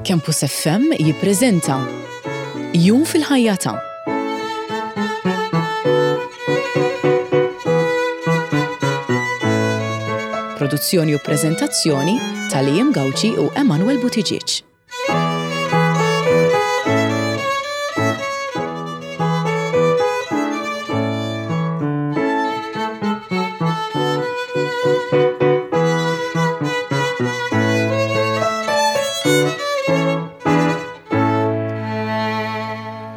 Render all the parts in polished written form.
Campus FM jippreżenta Jum fil-ħajja ta' Produzzjoni u preżentazzjoni ta' Liam Gauci u Emanuel Buttigieg.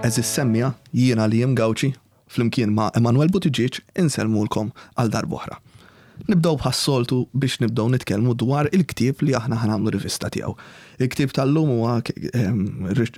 Għeżież semmiegħa, jiena Liam Gauci, flimkien ma' Emanuel Buttigieg insellmulkom għal darb'oħra. Nibdew bħas-soltu biex nibdew nitkellmu dwar il-ktieb li aħna ħa nagħmlu rivista tiegħu. Il-ktieb tal-lum huwa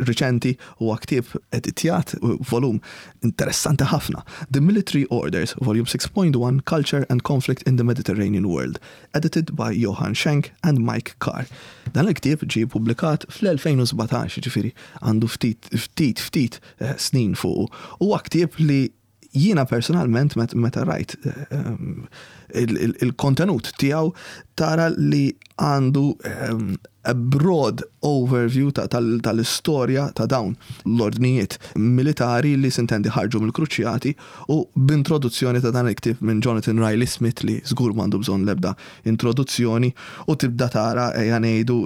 riċenti, huwa ktieb editjat, volum interessanti ħafna, The Military Orders, Volume 6.1 Culture and Conflict in the Mediterranean World, edited by Johann Schenk and Mike Carr. Dan il-ktieb ġie ppubblikat fl-2017, jiġifieri għandu ftit ftit ftit snin fuqu. Huwa ktieb li Jiena personalment meta rajt il-kontenut tiegħu tara li għandu a broad overview tal-istorja ta' dawn l-ordnijiet militari li sintendi ħarġu mill-Kruċjati u b'introduzzjoni ta' dan il-ktieb minn Jonathan Riley Smith li żgur m'għandu bżonn l-ebda introduzzjoni u tibda tara ejja ngħidu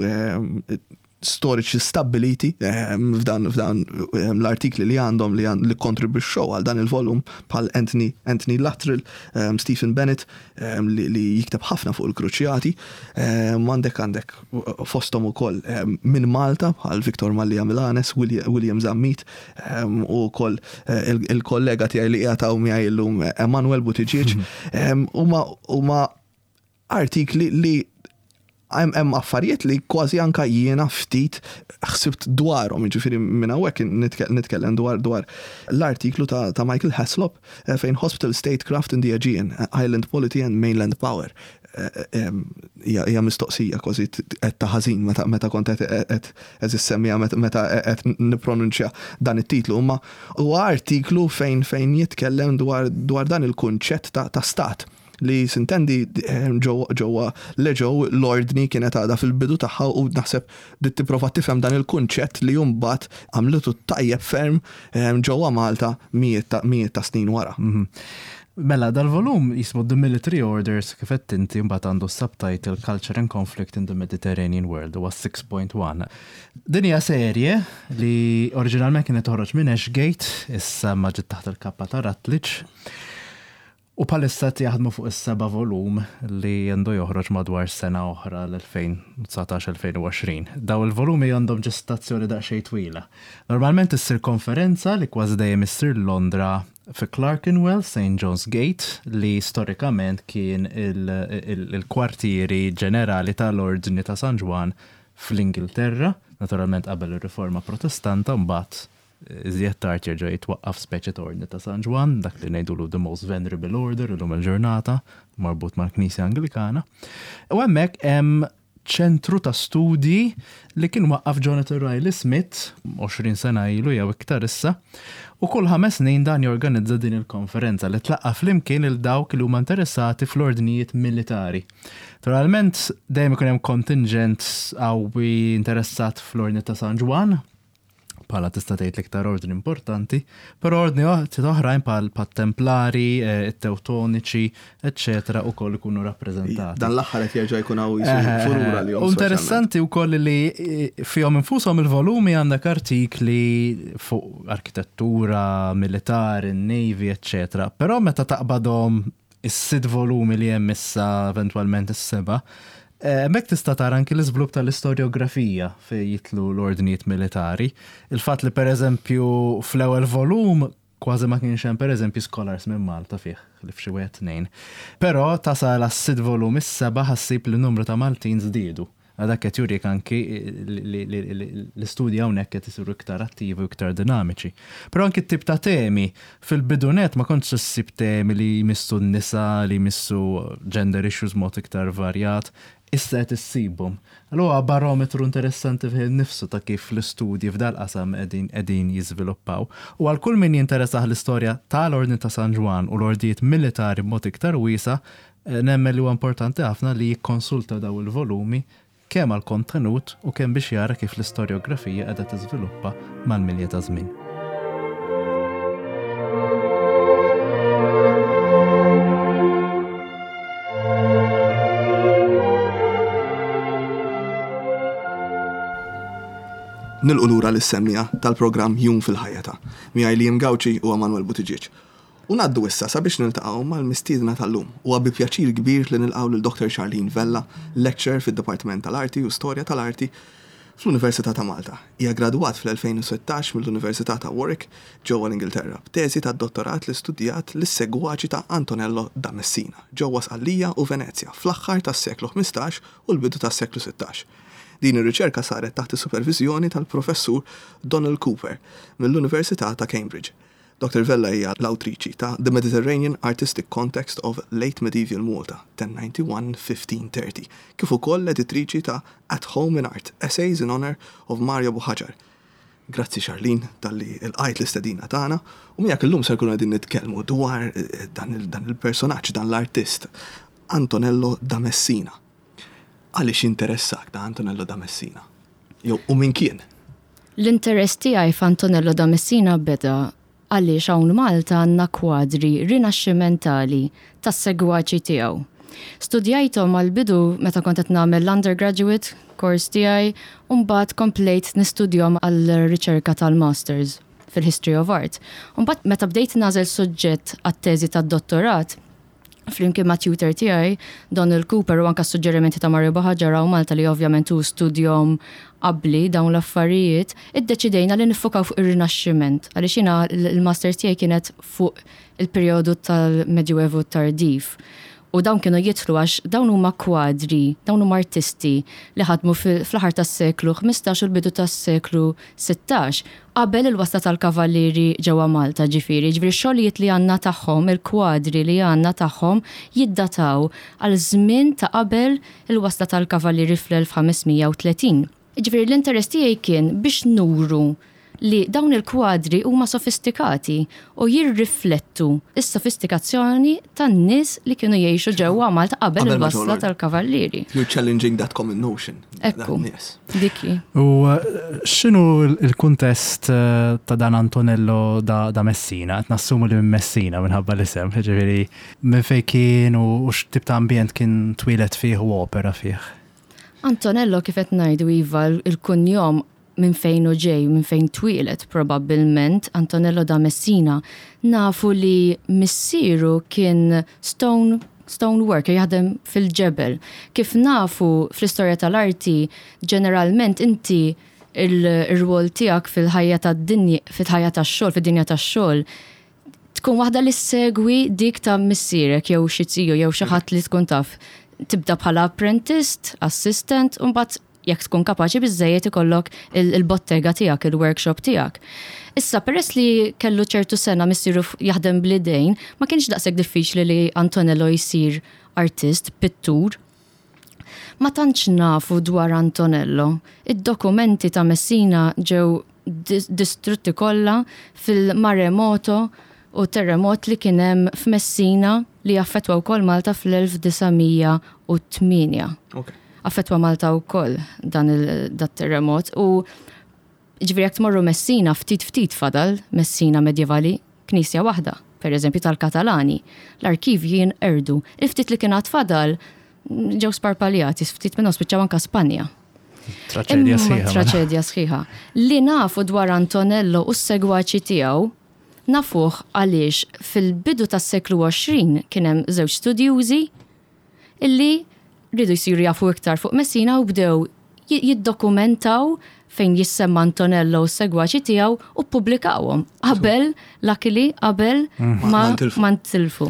storiċi stabbiliti f'dan f'dan l-artikli li għandhom li li kkontribwixxew għal dan il-volum bħal Anthony Anthony Luttrell, Stephen Bennett li li jikteb ħafna fuq il-Kruċjati. Għandek għandek fosthom ukoll minn Malta bħal Victor Mallia Milanes, William Zammit u wkoll il-kollega tiegħi li qiegħed hawn miegħi llum Emanuel Buttigieg. Huma huma artikli li hemm affarijiet li kważi anka jiena ftit ħsibt dwarhom, jiġifieri minn hawnhekk nitkellem dwar dwar l-artiklu ta' Michael Heslop eh, fejn Hospital Statecraft in the Aegean, Island Polity and Mainland Power. Eh, eh, hija mistoqsija kważi qed ta' ħażin meta kont qed issemmiha meta qed nippronunċja dan it-titlu, imma huwa artiklu fejn fejn jitkellem dwar dan il-kunċett ta' stat li sintendi ġewwa l-Eġew l-ordni kienet għadha fil-bidu tagħha u naħseb bdiet tipprova tifhem dan il-kunċett li mbagħad għamlitu tajjeb ferm ġewwa Malta mijiet ta' mijiet ta' snin wara. Mela, dal-volum jismu The Military Orders kif għedt inti mbagħad għandu s-subtitle Culture and Conflict in the Mediterranean World huwa 6.1. Din hija serje li oriġinalment kienet toħroġ minn Ashgate, issa ma ġiet taħt il-kappa ta' Rutledge. U bħalissa qed jaħdmu fuq is-seba' volum li għandu joħroġ madwar sena oħra l-2019-2020. Dawn il-volumi għandhom ġestazzjoni daqsxejn twila. Normalment issir konferenza li kważi dejjem issir Londra fi Clerkenwell, St John's Gate, li storikament kien il-kwartieri ġenerali tal-Ordni ta' San Ġwann fl-Ingilterra, naturalment qabel ir-Riforma Protestanta mbagħad Iżjed tard jerġa' jitwaqqaf speċi ta' Ordni ta' San Ġwann, dak li ngħidulu the most venerable order illum il-ġurnata, marbut mal-Knisja Anglikana. U hemmhekk hemm ċentru ta' studji li kien waqqaf Jonathan Riley Smith 20 sena ilu jew iktar issa, u kull ħames snin dan jorganizza din il-konferenza li tlaqqa' flimkien lil dawk li huma interessati fl-ordnijiet militari. Naturalment dejjem ikun hemm kontinġent qawwi interessat fl-Ordni ta' San Ġwann, bħala tista' tgħid l-iktar ordni importanti, però ordni oħrajn bħal templari, eh, it-Tewtoniċi, eċċetera ukoll ikunu rappreżentati. Dan l-aħħar qed jerġa' jkun hawn eh, furura li Interessanti wkoll li eh, fihom infushom il-volumi għandek artikli fuq arkitettura, militari, navy, eċċetera. Però meta taqbadhom is-sitt volumi li hemm issa eventwalment is-seba', eh, hemmhekk tista' tara anki l-iżvilupp tal-istorjografija fejn jitlu l-ordnijiet militari. Il-fatt li pereżempju fl-ewwel volum kważi ma kienx hemm pereżempju scholars minn Malta fih, li f'xi wieħed tnejn. Però tasal għas-sitt volum is-seba' ħassib li numru ta' Maltin żdiedu. Dak qed jurik anki li l-istudji hawnhekk qed isiru iktar attivi u iktar dinamiċi. Però anki t-tip ta' temi, fil-bidu nett ma kontx issib temi li jmissu n-nisa, li jmissu gender issues b'mod iktar varjat, issa qed issibhom. Allura huwa barometru interessanti fih innifsu ta' kif l-istudji f'dal-qasam qegħdin qegħdin jiżviluppaw. U għal kull min jinteressah l-istorja tal-Ordni ta' San Ġwann u l-ordijiet militari b'mod iktar wiesa', Nemmen li huwa importanti ħafna li jikkonsulta dawn il-volumi kemm għall-kontenut u kemm biex jara kif l-istorjografija qiegħda tiżviluppa mal-milja taż-żmien. Nilqu lura lis-semmiegħa tal-programm Jum fil-Ħajja ta' miegħi Liam Gauci u Emanuel Buttigieg. U ngħaddu issa sabiex niltaqgħu mal-mistiedna tal-lum. Huwa bi pjaċir kbir li nilqgħu lil Dr. Charlene Vella, lecturer fid-Dipartiment tal-Arti u Storja tal-Arti fl-Università ta' Malta. Hija ggradwat fl-2016 mill-Università ta' Warwick ġewwa l-Ingilterra b'teżi tad-dottorat li studjat lis-segwaċi ta' Antonello da Messina ġewwa Sqallija u Venezja fl-aħħar tas-seklu 15 u l-bidu tas-seklu 16. Din ir-riċerka saret taħt is-superviżjoni tal-Professur Donald Cooper mill-Università ta' Cambridge. Dottor Vella hija l-awtriċi ta' The Mediterranean Artistic Context of Late Medieval Malta, 1091-1530, kif ukoll l-editriċi ta' At Home in Art, Essays in Honour of Mario Buhagiar. Grazzi Charlene talli lqajt l-istedina tagħna u miegħek illum ser nkunu qegħdin nitkellmu dwar dan il-personaġġ, dan l-artist, Antonello da Messina. Għaliex jinteressak da Antonello da Messina? Jew u min kien? L-interess tiegħi f'Antonello da Messina beda għaliex hawn Malta għandna kwadri rinaxximentali tas-segwaċi tiegħu. Studjajthom għall-bidu meta kont qed nagħmel l-undergraduate course tiegħi u mbagħad komplejt nistudjahom għall-riċerka tal-masters fil-History of Art. U mbagħad meta bdejt nagħżel suġġett għat-teżi tad-dottorat, flimkien ma' tutor tiegħi, Donald Cooper u anka s-suġġerimenti ta' Mario Buhagiar hawn Malta li ovvjament hu studjom qabli dawn l-affarijiet, iddeċidejna li niffokaw fuq ir-Rinaxximent għaliex jiena l-masters tiegħi kienet fuq il-perjodu tal-Medjuevu tardiv. U dawn kienu jidħlu għax dawn huma kwadri, dawn huma artisti li ħadmu fl-aħħar tas-seklu 15 u l-bidu tas-seklu 16. Qabel il-wasla tal-Kavallieri ġewwa Malta, ġifieri, jiġifieri x-xogħlijiet li għandna tagħhom, il-kwadri li għandna tagħhom jiddataw għal żmien ta' qabel il-wasla tal-Kavallieri fl-1530. Jiġifieri l-interess tiegħi kien biex nuru li dawn il-kwadri huma sofistikati u jirriflettu s-sofistikazzjoni tan-nies li kienu jgħixu ġewwa Malta qabel il-wasla tal-Kavallieri. You're challenging that common notion. Ekku. Dik hi. U x'inhu l-kuntest ta' dan Antonello da Messina? Qed nassumu li minn Messina minħabba l-isem, jiġifieri minn fejn kien u x'tip ta' ambjent kien twieled fih u opera fih? Antonello kif qed ngħidu iva l-kunjom minn fejn hu ġej, minn fejn twieled probabbilment Antonello da Messina, nafu li missieru kien stone stone worker, jaħdem fil-ġebel. Kif nafu fl-istorja tal-arti, ġeneralment inti il-rwol tiegħek fil-ħajja tad-dinja, fil-ħajja tax-xogħol, fid-dinja tax-xogħol, tkun waħda li ssegwi dik ta' missierek jew xi ziju jew xi ħadd li tkun taf. Tibda bħala apprentist, assistant, u mbagħad jekk tkun kapaċi biżżejjed ikollok il-bottega tiegħek, il-workshop tiegħek. Issa, peress li kellu ċertu sena missieru jaħdem bl-idejn, ma kienx daqshekk diffiċli li Antonello jsir artist, pittur. Ma tantx nafu dwar Antonello. Id-dokumenti ta' Messina ġew distrutti kollha fil-maremoto u terremot li kien hemm f'Messina li affettwa wkoll Malta fl-1908. Affettwa Malta wkoll dan il-terremot u ġifieri jekk tmorru Messina ftit ftit fadal Messina medjevali, knisja waħda, per eżempju tal-Katalani. L-arkivji jinqerdu. Il-ftit li kien għad fadal ġew sparpaljati, ftit minnhom spiċċaw anka Spanja. Traċedja sħiħa. Traċedja sħiħa. Li nafu dwar Antonello u s-segwaċi tiegħu nafuh għaliex fil-bidu tas-seklu 20 kien hemm żewġ studjużi illi riedu jsiru jafu iktar fuq Messina u bdew jiddokumentaw fejn jissemma Antonello u s-segwaċi tiegħu u ppubblikawhom qabel, luckily, qabel ma ntilfu.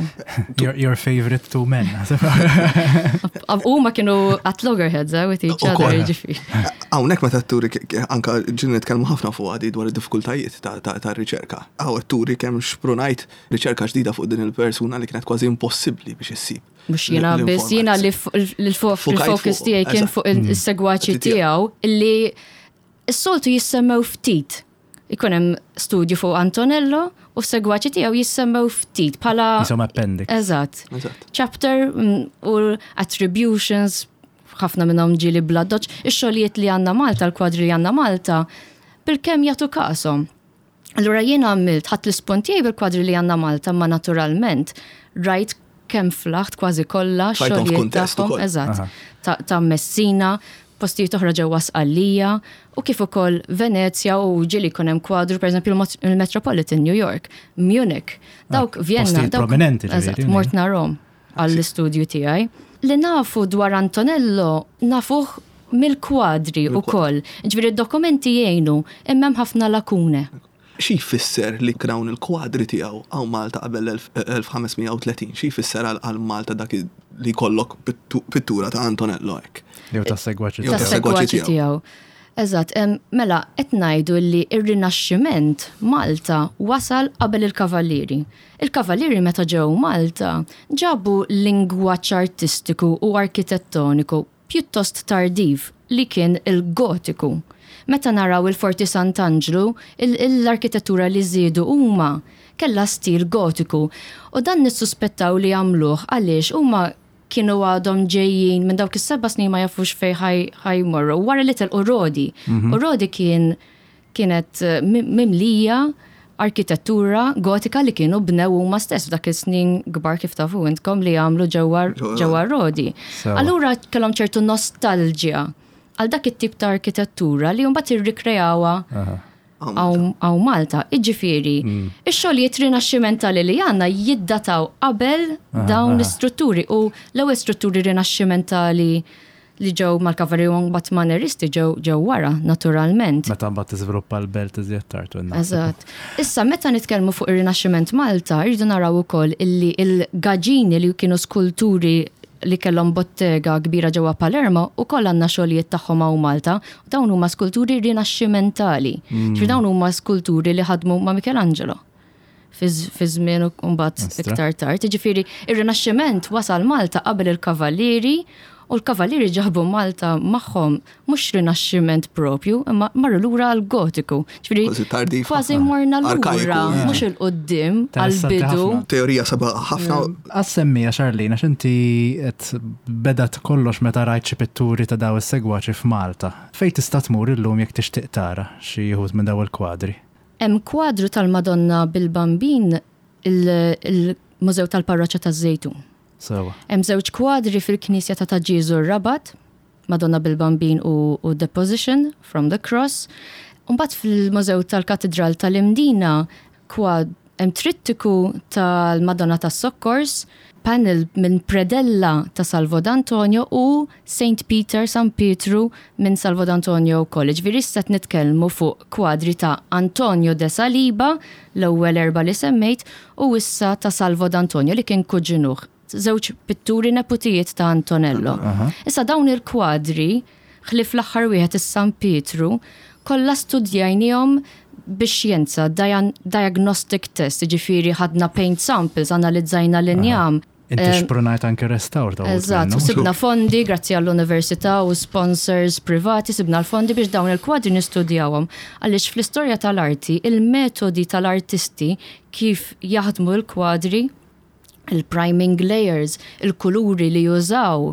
Your favorite two men. Huma kienu at loggerheads eh, with each other, jiġifieri. Hawnhekk meta turi anka ġieli nitkellmu ħafna fuq għadi dwar id-diffikultajiet tar-riċerka. Hawn qed turi kemm xprunajt riċerka ġdida fuq din il-persuna li kienet kważi impossibbli biex issib. Mhux jiena biss, jiena li l-focus tiegħi kien fuq is-segwaċi tiegħu li s-soltu jissemmew ftit. Ikun hemm studju fuq Antonello u s-segwaċi tiegħu jissemmew ftit bħala Isom appendix. Eżatt. Chapter mm, u attributions. ħafna minnhom ġieli bl-addoċċ, ix-xogħlijiet li għandna Malta, l-kwadri li għandna Malta, bilkemm jagħtu kashom. Allura jiena għamilt, ħadt l-ispunt tiegħi bil-kwadri li għandna Malta, ma naturalment rajt kemm flaħt kważi kollha xogħlijiet tagħhom, eżatt, ta' Messina, postijiet oħra ġewwa Sqallija u kif ukoll Venezja u ġieli jkun hemm kwadru pereżempju il-Metropolitan New York, Munich, dawk ah, Vienna, dawk prominenti. Eżatt, mort narhom għall-istudju tiegħi. Li nafu dwar Antonello nafuh mill-kwadri ukoll. Ġifieri d-dokumenti jgħinu, imma hemm ħafna lakune. Xi jfisser li dawn il-kwadri tiegħu hawn Malta qabel l-1530? Xi jfisser għal Malta dak li jkollok pittura ta' Antonello hekk? Jew tas-segwaċi tiegħu. Tas-segwaċi tiegħu. Eżatt, mela qed ngħidu li r-Rinaxximent Malta wasal qabel il-Kavallieri. Il-Kavallieri meta ġew Malta ġabu lingwaġġ artistiku u arkitettoniku pjuttost tardiv li kien il-Gotiku. Meta naraw il-Forti Sant'Anġlu, l-arkitettura li żiedu huma kellha stil Gotiku u dan nissuspettaw li għamluh għaliex huma kienu għadhom ġejjin minn dawk is-seba' snin ma jafux fejn ħa jmorru wara li telqu Rodi. U Rodi kien kienet mimlija arkitettura gotika li kienu bnew huma stess f'dak is-snin kbar kif tafu intkom li għamlu ġewwa ġewwa Rodi. Allura kellhom ċertu nostalġja għal dak it-tip ta' arkitettura li mbagħad irrikreawha hawn Malta. Iġifieri, mm. ix-xogħlijiet rinaxximentali li għandna jiddataw qabel dawn l-istrutturi u l-ewwel strutturi rinaxximentali li ġew mal-Kavallieri u mbagħad Maneristi ġew ġew wara, naturalment. Meta mbagħad tiżviluppa l-belt iżjed tard. Eżatt. Issa meta nitkellmu fuq ir-Rinaxximent Malta, rridu naraw ukoll illi l-gaġini li kienu skulturi li kellhom bottega kbira ġewwa Palermo ukoll għandna xogħlijiet tagħhom hawn Malta. Dawn huma skulturi rinaxximentali. Mm. Ġifieri dawn huma skulturi li ħadmu ma' Michelangelo fi żmien u mbagħad iktar tard. Jiġifieri ir-Rinaxximent wasal Malta qabel il-Kavallieri u l-Kavallieri ġabu Malta magħhom mhux Rinaxximent propju, imma marru lura għall-Gotiku. Ġifieri kważi morna lura mhux 'il quddiem għall-bidu. Teorija sabiħa ħafna. Għas-semmija Charlene, għax inti qed bedat kollox meta rajt xi pitturi ta' daw is-segwaċi f'Malta. Fejn tista' tmur illum jekk tixtieq tara xi wħud minn daw il-kwadri? Hemm kwadru tal-Madonna bil-Bambin il-Mużew tal-Parroċċa taż-Żejtun. Sewa. Hemm żewġ kwadri fil-Knisja ta' Ta' Ġieżu r-Rabat, Madonna bil-Bambin u, u Deposition from the Cross. Mbagħad fil-Mużew tal-Katidral tal-Imdina kwad hemm trittiku tal-Madonna tas-Sokkors, panel minn predella ta' Salvo D'Antonio u Saint Peter, San Pietru, minn Salvo D'Antonio wkoll. Jiġifieri issa qed nitkellmu fuq kwadri ta' Antonio de Saliba, l-ewwel erbgħa li semmejt, u issa ta' Salvo D'Antonio li kien kuġinuh. Żewġ pitturi neputijiet ta' Antonello. Issa dawn il-kwadri, ħlief l-aħħar wieħed is-San Pietru, kollha studjajniehom bix-xjenza, diagnostic test, jiġifieri ħadna paint samples, analizzajna l-injam. Inti xprunajt anke restawr ta' Eżatt, sibna fondi grazzi għall-università u sponsors privati sibna l-fondi biex dawn il-kwadri nistudjawhom. Għaliex fl-istorja tal-arti il-metodi tal-artisti kif jaħdmu l-kwadri, il-priming layers, il-kuluri li jużaw,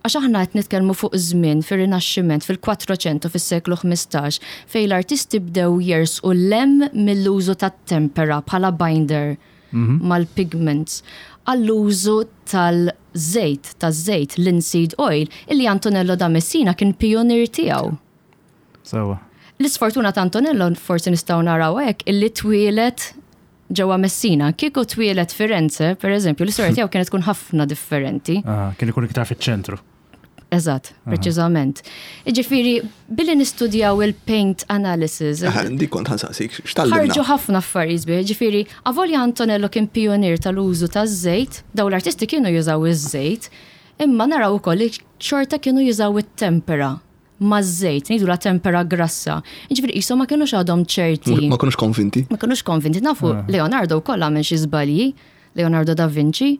għax aħna qed nitkellmu fuq żmien fir-Rinaxximent, fil-Quattrocento, fis-seklu 15, fejn l-artisti bdew jersqu 'l hemm mill-użu tat-tempera bħala binder mal-pigments għall-użu tal-żejt, taż-żejt, linseed oil, illi Antonello da Messina kien pijunier tiegħu. Sewwa. L-isfortuna ta' Antonello forsi nistgħu naraw hekk illi twieled ġewwa Messina. Kieku twieled Firenze, per eżempju, l-istorja tiegħu kienet tkun ħafna differenti. Kien ikun iktar fiċ-ċentru. Eżatt, preċiżament. Jiġifieri, billi nistudjaw il-paint analysis. Dik kont ħansaqsik, x'tgħallimna? Ħarġu ħafna affarijiet sbieħ, jiġifieri, avolja Antonello kien pijunier tal-użu taż-żejt, dawn l-artisti kienu jużaw iż-żejt, imma naraw ukoll li xorta kienu jużaw it-tempera maż-żejt, ngħidulha tempera grassa. Jiġifieri qishom ma kinux għadhom ċerti. Ma kinux konvinti. Ma kinux konvinti. Nafu Leonardo wkoll għamel xi żbalji, Leonardo da Vinci,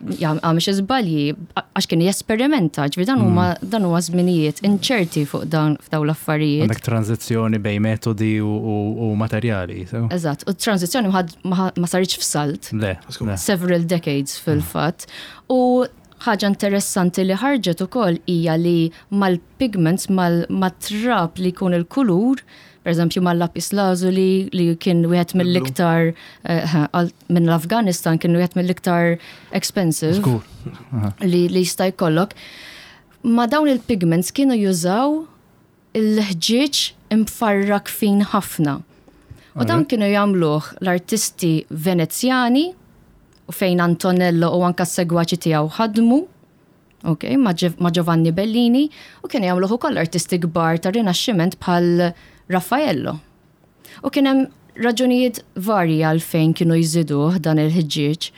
għamel xi żbalji għax kien jesperimenta, ġifieri dan huma mm. dan huwa żminijiet inċerti fuq dan f'dawn l-affarijiet. Għandek tranzizzjoni bejn metodi u materjali. Eżatt, u tranzizzjoni ma saritx f'salt. Le. Several decades fil-fatt. U Ħaġa interessanti li ħarġet ukoll hija li mal-pigments, mat-trab li jkun il-kulur, pereżempju mal-lapis lazuli li kien wieħed mill-iktar eh, minn l-Afganistan kien wieħed mill-iktar expensive li jista' jkollok. Ma dawn il-pigments kienu jużaw il-ħġieġ imfarrak fin ħafna. U dawn kienu jagħmluh l-artisti Venezjani u fejn Antonello u anka s-segwaċi tiegħu ħadmu, ok, ma' Giovanni Bellini, u kienu jagħmluh ukoll artisti kbar tar-Rinaxximent bħal Raffaello. U kien hemm raġunijiet varji għalfejn kienu jżiduh dan il-ħġieġ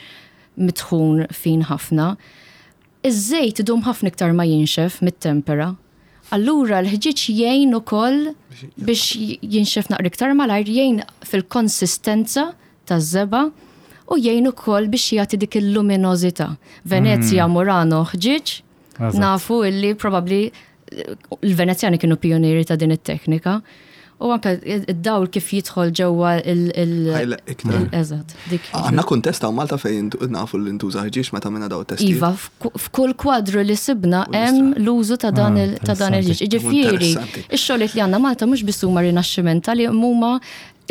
mitħun fin ħafna. Iż-żejt idum ħafna iktar ma jinxef mit-tempera. Allura l-ħġieġ jgħin ukoll biex jinxef naqra iktar malajr, jgħin fil-konsistenza taż-żebgħa u jgħin ukoll biex jagħti dik il-luminożità. Venezja, Murano, ħġieġ, nafu illi probabbli l-Venezjani kienu pionieri ta' din it-teknika. U anke id-dawl kif jidħol ġewwa il- iktar. Eżatt. Għandna kuntest hawn Malta fejn nafu li ntuża ħġieġ meta minna daw testi. Iva, f'kull kwadru li sibna hemm l-użu ta' dan ah, il-ħġieġ. Ġifieri, ix-xogħlijiet li għandna Malta mhux biss huma rinaxximentali, huma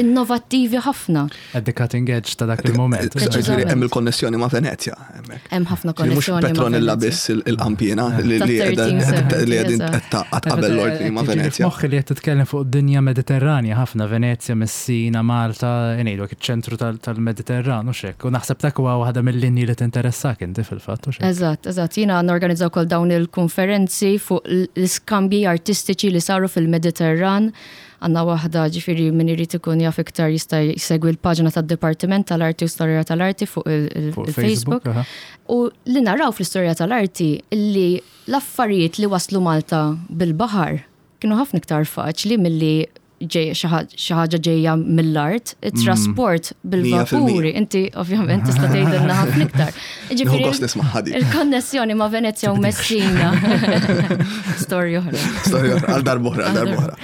innovattivi ħafna. At the cutting edge ta' dak il-moment. Ġifieri hemm il-konnessjoni ma' Venezja hemmhekk. Hemm ħafna konnessjoni. Mhux Petronilla biss il-qampina li qegħdin tgħaqqad qabel l-ordni ma' Venezja. Moħħi li qed titkellem fuq dinja Mediterranja ħafna Venezja, Messina, Malta, ngħidu iċ-ċentru tal-Mediterran u xek. U naħseb dak huwa waħda mill-linji li tinteressak inti fil-fatt u xek. Eżatt, eżatt. Jiena norganizza wkoll dawn il-konferenzi fuq l-iskambji artistiċi li saru fil-Mediterran. Għandna waħda, ġifieri min irid ikun jaf iktar jista' jsegwi l-paġna tad-Dipartiment tal-Arti u Storja tal-Arti fuq il-Facebook. U li naraw fl-istorja tal-arti li l-affarijiet li waslu Malta bil-baħar kienu ħafna iktar faċli milli xi ħaġa ġejja mill-art, it-trasport mm. bil-vapuri, inti ovvjament tista' tgħidilna ħafna iktar. Ġifieri il-konnessjoni ma' Venezia u Messina. Storja oħra. Storja oħra, għal darb'oħra, għal darb'oħra.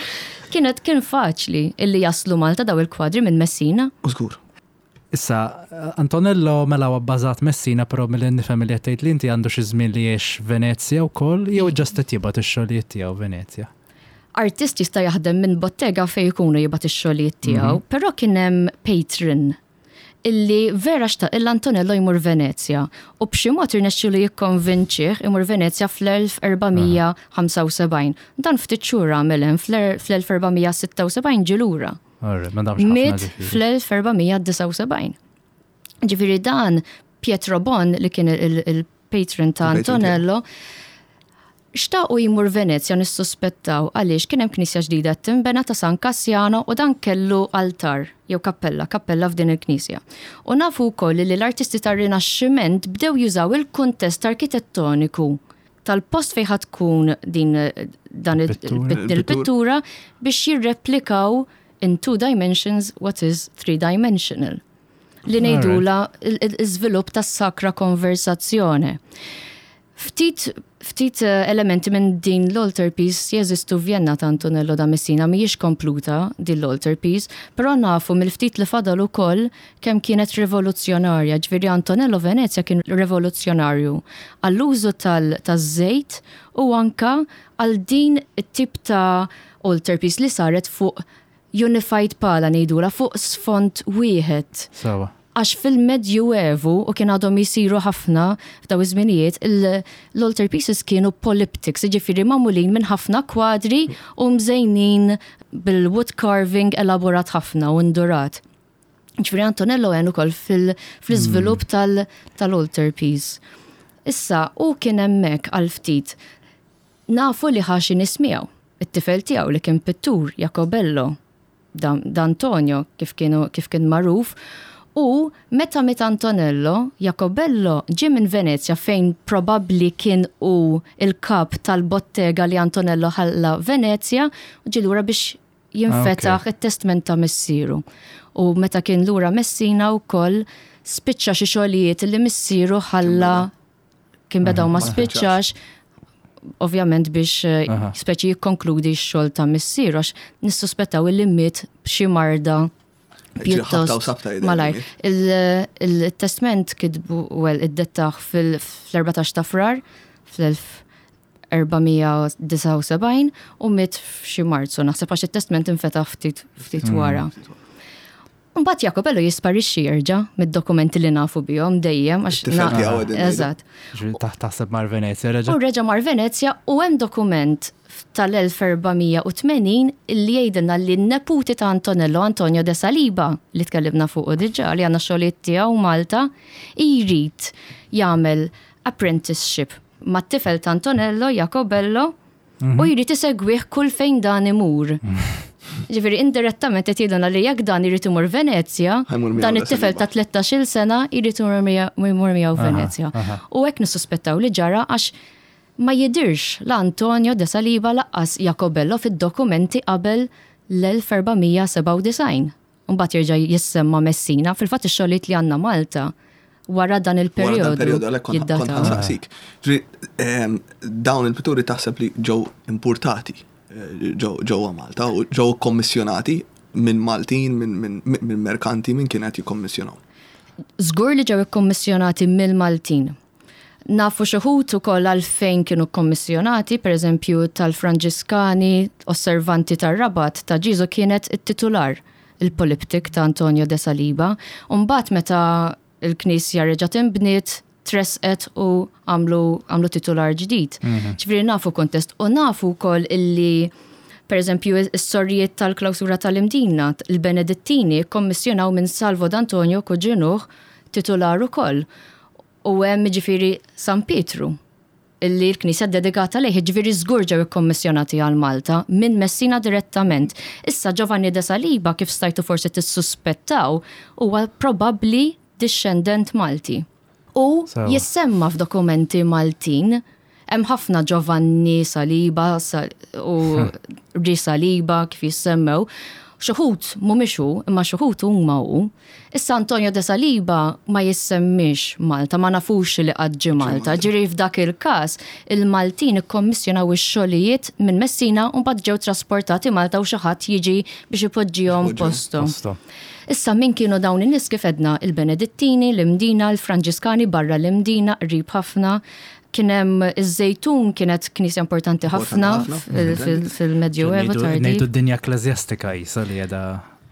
Kienet kien faċli illi jaslu Malta daw il-kwadri minn Messina. U żgur. Issa, Antonello mela huwa bbażat Messina, però milli nifhem li qed tgħid li inti għandu xi żmien li jgħix Venezja wkoll, jew ġast qed jibgħat ix-xogħlijiet tiegħu Venezja? Artist jista' jaħdem minn bottega fejn ikunu jibgħat ix-xogħlijiet tiegħu, mhm. però kien hemm patron illi vera xtaq il Antonello jmur Venezja u b'xi mod irnexxielu jikkonvinċih imur Venezja fl-1475. Dan ftit xhur għamel hemm fl-1476 ġie lura. Miet fl-1479. Ġifieri dan Pietro Bon li kien il-patron ta' Antonello Xtaqu jmur Venezja nissuspettaw għaliex kien hemm knisja ġdida qed tinbena ta' San Cassiano u dan kellu altar jew kappella, kappella f'din il-knisja. U nafu wkoll li l-artisti tar-Rinaxximent bdew jużaw il-kuntest arkitettoniku tal-post fejn ħa tkun din dan il-pittura biex jirreplikaw in two dimensions what is three dimensional. Li ngħidulha l-iżvilupp tas-sacra conversazione. Ftit ftit elementi minn din l-altarpiece jeżistu f'Vjenna ta' Antonello da Messina, mhijiex kompluta din l-altarpiece, però nafu mill-ftit li fadal ukoll kemm kienet rivoluzzjonarja, ġifieri Antonello Venezia kien rivoluzzjonarju għall-użu taż-żejt u anka għal din it-tip ta' altarpiece li saret fuq unified pala ngħidulha fuq sfond wieħed. Sewwa. Għax fil-Medjuevu, u kien għadhom jsiru ħafna f'daw iż-żminijiet, l-altarpieces kienu polyptychs, jiġifieri magħmulin minn ħafna kwadri u mżejnin bil-wood carving elaborat ħafna u ndurat. Ġifieri Antonello għen ukoll fl-iżvilupp tal-altarpiece. Issa, hu kien hemmhekk għal ftit. Nafu li ħa xi nies miegħu. It-tifel tiegħu li kien pittur, Jacobello. D'Antonio kif kienu kif kien magħruf, u meta miet Antonello, Jacobello ġie minn Venezja fejn probabbli kien hu l-kap tal-bottega li Antonello ħalla Venezja u ġie lura biex jinfetaħ it-testment ta' missieru. U meta kien lura Messina wkoll spiċċa xi xogħlijiet li missieru ħalla kien beda u ma spiċċax, ovvjament biex eh, speċi jikkonkludi x-xogħol ta' missier għax nissuspettaw illi miet b'xi marda. Pjuttost malajr. Il-testment kitbu, well, iddettah fil-14 ta' Frar fl-1479 u miet f'xi Marzu, naħseb għax it-testment infetaħ ftit ftit wara. Mbagħad Jacobello jisparixxi jerġa' mid-dokumenti li nafu bihom dejjem għax. It-tifel tiegħu qegħdin ngħidu. Eżatt. Ġifieri taħseb mar Venezja reġa'. U reġa' mar Venezja u hemm dokument tal-1480 li jgħidilna li n-neputi ta' Antonello, Antonio de Saliba, li tkellimna fuqu diġà, li għandna xogħlijiet tiegħu Malta, jrid jagħmel apprenticeship mat-tifel ta' Antonello, Jacobello, u jrid isegwih kull fejn dan imur. Ġifieri indirettament qed jgħidulna li jekk dan irid imur Venezja, dan it-tifel ta' 13-il sena jrid imur miegħu Venezja. U hekk nissuspettaw li ġara għax Ma jidhirx la Antonio de Saliba laqqas Jacobello fid-dokumenti qabel l-1497. Imbagħad jerġa' jissemma Messina. Fil-fatt ix-xogħlijiet li għandna Malta wara dan il-perjodu. Wara dan il-perjodu għalhekk kont ħa nsaqsik. Ġifieri dawn il-pitturi taħseb li ġew impurtati ġewwa Malta u ġew ikkommissjonati minn Maltin, minn merkanti, min kien qed jikkommissjonahom? Żgur li ġew ikkommissjonati mill-Maltin. Nafu xi wħud ukoll għalfejn kienu kkommissjonati, pereżempju tal-Franġiskani Osservanti tar-Rabat ta' Ġieżu kienet it-titular, il-polyptych ta' Antonio de Saliba, u mbagħad meta l-knisja reġgħet inbniet, tressqet u għamlu għamlu titular ġdid. Ġifieri nafu kuntest u nafu wkoll illi pereżempju s-sorrijiet tal-klawsura tal-Imdina, il-Benedittini kkommissjonaw minn Salvo d'Antonio kuġinuh titular ukoll. U hemm jiġifieri San Pietru, illi l-knisja ddedikata lejh, jiġifieri żgur ġew ikkommissjonati għal Malta minn Messina direttament. Issa Giovanni de Saliba, kif stajtu forsi tissuspettaw, huwa probabbli dixxendent Malti. U jissemma f'dokumenti Maltin. Hemm ħafna Giovanni Saliba u Ri Saliba kif jissemmew. Xi wħud mhumiex hu, imma xi wħud huma hu. Issa Antonio de Saliba ma jissemmiex Malta, ma nafux li qatt ġie Malta. Ġieri f'dak il-każ il-Maltin ikkommissjonaw ix-xogħlijiet minn Messina u mbagħad ġew trasportati Malta u xi ħadd jiġi biex ipoġġihom posthom. Issa min kienu dawn in-nies kif għedna il-Benedittini, l-Imdina, il-Franġiskani barra l-Imdina qrib ħafna, Kien hemm iż-Żejtun kienet knisja importanti ħafna fil-Medjuevu tardi. Ngħidu d-dinja ekkleżjastika qisha li qiegħda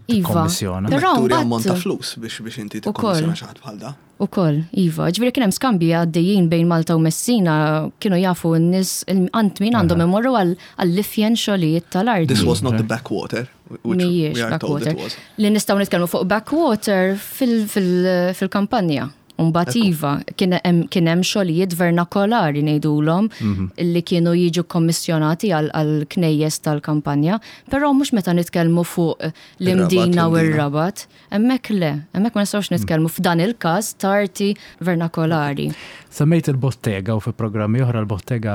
tikkommissjona. Iva, però Turi ammont ta' flus biex inti tikkommissjona xi ħadd bħal da. Ukoll, iva. Ġifieri kien hemm skambji għaddejjin bejn Malta u Messina, kienu jafu n-nies għand min għandhom imorru għall-ifjen xogħlijiet tal-arti. This was not the backwater, which we are told it was. Li nistgħu nitkellmu fuq backwater fil-kampanja. U mbagħad iva, kien hemm xogħlijiet vernakolari ngħidulhom mhm. li kienu jiġu kommissjonati għal knejjes tal-kampanja, però mhux meta nitkellmu fuq l-Imdina u r-Rabat. Hemmhekk le, hemmhekk ma nistgħux nitkellmu f'dan il-każ ta' arti vernakolari. Semmejt il-bottega u fi programmi oħra l-bottega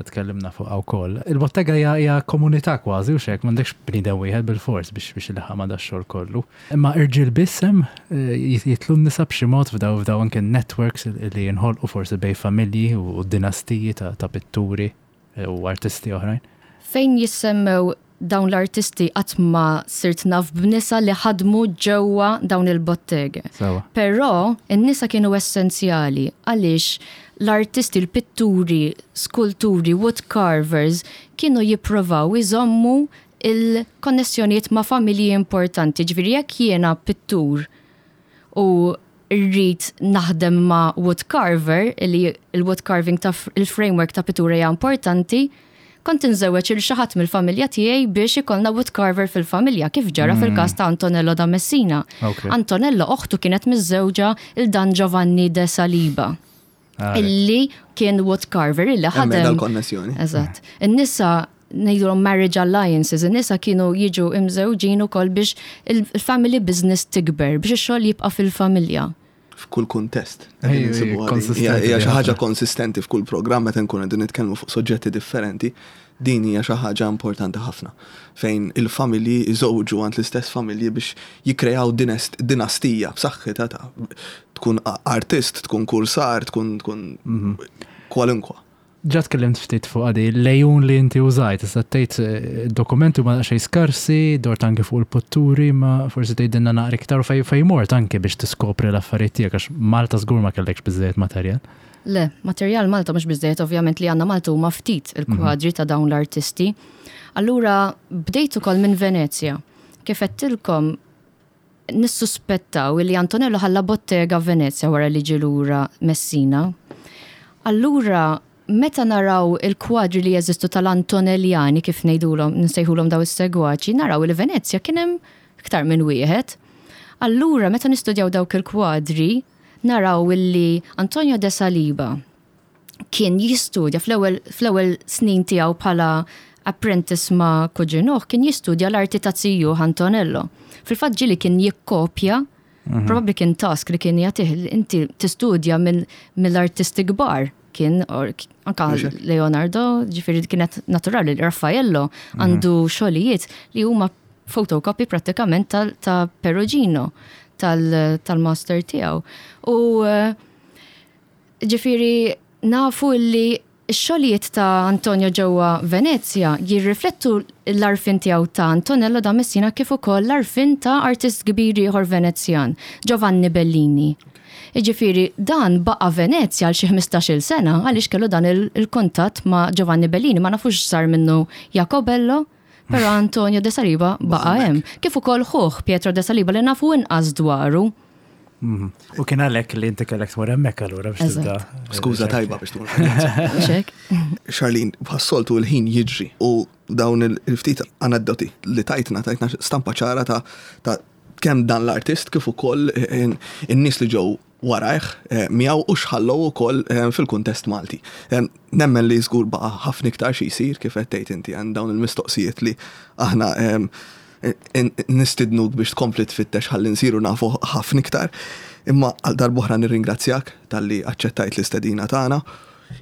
tkellimna fuqha wkoll. Il-bottega hija komunità kważi u xek m'għandekx bniedem wieħed bil-fors biex biex ilaħħam ma' dax-xogħol kollu. Imma irġiel biss hemm? Jidħlu n-nisa b'xi mod f'daw f'daw anke n-networks li jinħolqu forsi bejn familji u dinastiji ta' pitturi u artisti oħrajn? Fejn jissemmew dawn l-artisti qatt ma sirt naf b'nisa li ħadmu ġewwa dawn il-botteghe. Sewwa. Però n-nisa kienu essenzjali għaliex l-artisti, l-pitturi, skulturi, wood carvers kienu jipprovaw iżommu il-konnessjonijiet ma' familji importanti. Ġifieri jekk jiena pittur u rrid naħdem ma' wood carver, li l-wood carving ta' il-framework ta' pittura hija importanti, kont inżewweġ il xi ħadd mill-familja tiegħi biex ikollna wood carver fil-familja, kif ġara fil-każ ta' Antonello da Messina. Antonello oħtu kienet miżżewġa 'l Dan Giovanni de Saliba. Illi kien wood carver, illi ħadem. Dal-konnessjoni. Eżatt. In-nisa ngħidulhom marriage alliances, in-nisa kienu jiġu imżewġin ukoll biex il-family business tikber, biex ix-xogħol jibqa' fil-familja. F'kull kuntest. Hija xi ħaġa konsistenti f'kull programm meta nkunu qegħdin nitkellmu fuq soġġetti differenti. Din hija xi ħaġa importanti ħafna, fejn il-familji jżewġu għand l-istess familji biex jikkreaw dinastija b'saħħitha ta' tkun artist, tkun kursar, tkun tkun kwalunkwa. Ġa tkellimt ftit fuq għadi, l-lejun li inti użajt, issa tgħid eh, dokumenti huma xejn skarsi, dort anke fuq il-potturi, ma forsi tgħidilna naqra iktar fej fej mort anke biex tiskopri l-affarijiet tiegħek għax Malta żgur ma kellekx biżejjed materjal. Le, materjal Malta mhux biżejjed ovvjament li għandna Malta huma ftit il-kwadri ta' dawn l-artisti. Allura bdejt ukoll minn Venezja. Kif għedtilkom nissuspettaw li Antonello ħalla bottega Venezja wara li ġie lura Messina. Allura meta naraw il-kwadri li jeżistu tal-Antonelliani kif ngħidulhom nsejħulhom daw is-segwaċi, naraw li Venezja kien hemm iktar minn wieħed. Allura meta nistudjaw dawk il-kwadri, naraw illi Antonio de Saliba kien jistudja fl-ewwel fl-ewwel snin tiegħu bħala apprentice ma' kuġinuh kien jistudja l-arti ta' zijuh Antonello. Fil-fatt ġieli kien jikkopja, mhm. probabbli kien task li kien jagħtih inti tistudja mill-artisti kbar kien anka Leonardo, ġifieri kienet naturali, Raffaello mhm. għandu xogħlijiet li huma photocopy prattikament ta' Perugino tal-master tiegħu. U eh, Ġifieri nafu li x-xogħlijiet ta' Antonio ġewwa Venezja jirriflettu l-għarfien tiegħu ta' Antonello da Messina kif ukoll l-għarfien ta' artist kbir ieħor Venezjan, Giovanni Bellini. Jiġifieri dan baqa' Venezja għal xi ħmistax-il sena għaliex kellu dan il-kuntatt ma' Giovanni Bellini. Ma nafux x'sar minnu Jacobello, però Antonio de Saliba baqa' hemm. Kif ukoll ħuh Pietro de Saliba li nafu inqas dwaru. Mhm. U kien għalhekk li inti kellek tmur hemmhekk allura biex tibda. Skuża tajba biex tmur. Charlene, bħas-soltu l-ħin jiġri u dawn il-ftit aneddoti li tajtna, tajtna stampa ċara ta' kemm dan l-artist kif ukoll in-nies li ġew warajh eh, miegħu u xħallow ukoll eh, fil-kuntest Malti. Eh, nemmen li żgur baqa' ħafna iktar xi jsir kif qed tgħid inti għand dawn il-mistoqsijiet li aħna Nistidnuk biex tkompli tfittex ħalli nsiru nafu ħafna iktar. Imma għal darb'oħra nirringrazzjak talli aċċettajt l-istedina tagħna.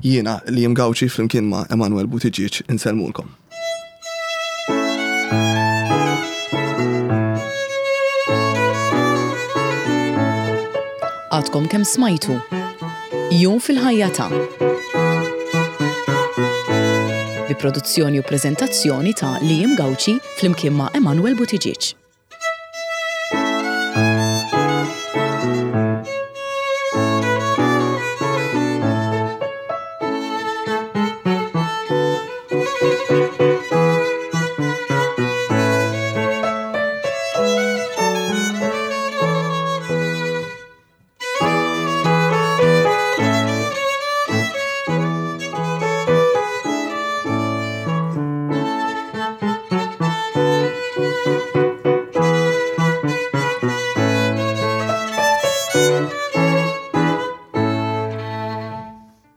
Jiena Liam Gauci flimkien ma' Emanuel Buttigieg insellmulkom. Għadkom kemm smajtu Jum fil-ħajja ta' bi produzzjoni u preżentazzjoni ta' Liam Gauci flimkien ma' Emanuel Buttigieg.